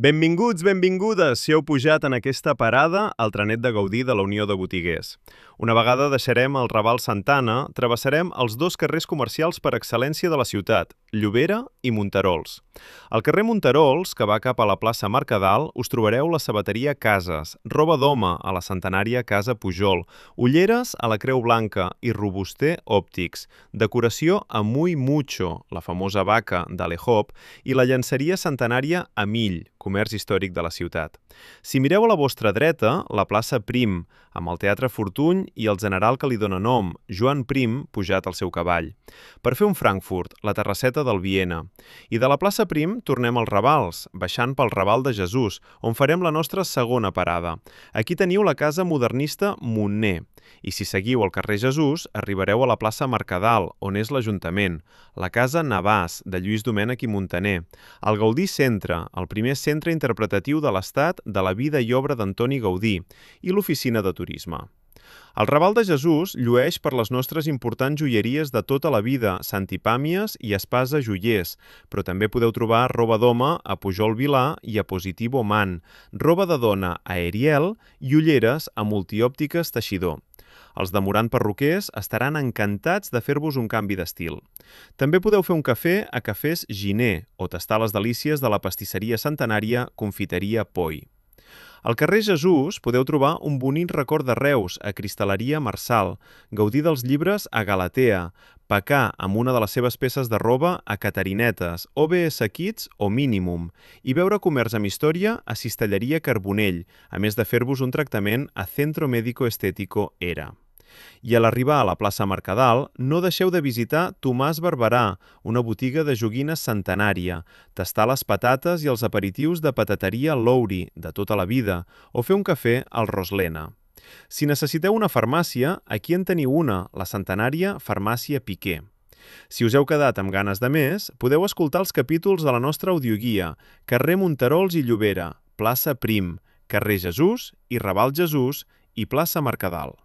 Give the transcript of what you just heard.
Benvinguts, benvingudes, si heu pujat en aquesta parada al trenet de Gaudí de la Unió de Botiguers. Una vegada deixarem el Raval Santana, travessarem els dos carrers comercials per excel·lència de la ciutat, Llobera i Monterols. Al carrer Monterols, que va cap a la plaça Mercadal, us trobareu la sabateria Cases, roba d'home a la centenària Casa Pujol, ulleres a la Creu Blanca i Robuster Òptics, decoració a Muy Mucho, la famosa vaca d'Alehop, i la llanceria centenària Amill, comerç històric de la ciutat. Si mireu a la vostra dreta, la plaça Prim, amb el Teatre Fortuny i el general que li dóna nom, Joan Prim, pujat al seu cavall. Per fer un Frankfurt, la terrasseta del Viena. I de la plaça Prim tornem als Ravals, baixant pel Raval de Jesús, on farem la nostra segona parada. Aquí teniu la casa modernista Montner. I si seguiu el carrer Jesús, arribareu a la plaça Mercadal, on és l'Ajuntament, la casa Navàs, de Lluís Domènech i Muntaner, el Gaudí Centre, el primer centre interpretatiu de l'Estat de la vida i obra d'Antoni Gaudí, i l'oficina de turisme. El Raval de Jesús llueix per les nostres importants joieries de tota la vida, Sant Hipàmies i Espasa Joiers, però també podeu trobar roba d'home a Pujol Vilà i a Positivo Man, roba de dona a Eriel i ulleres a Multiòptiques Teixidor. Els de Morant Perruquers estaran encantats de fer-vos un canvi d'estil. També podeu fer un cafè a Cafès Giner o tastar les delícies de la pastisseria centenària Confiteria Poi. Al carrer Jesús podeu trobar un bonic record de Reus a Cristal·leria Marsal, gaudir dels llibres a Galatea, pecar amb una de les seves peces de roba a Catarinetes, OBS Kids o Minimum, i veure comerç amb història a Cistelleria Carbonell, a més de fer-vos un tractament a Centro Médico Estético ERA. I a l'arribar a la plaça Mercadal, no deixeu de visitar Tomàs Barberà, una botiga de joguines centenària, tastar les patates i els aperitius de patateria Louri, de tota la vida, o fer un cafè al Roslena. Si necessiteu una farmàcia, aquí en teniu una, la centenària Farmàcia Piqué. Si us heu quedat amb ganes de més, podeu escoltar els capítols de la nostra audioguia, carrer Monterols i Llobera, plaça Prim, carrer Jesús i Raval Jesús i plaça Mercadal.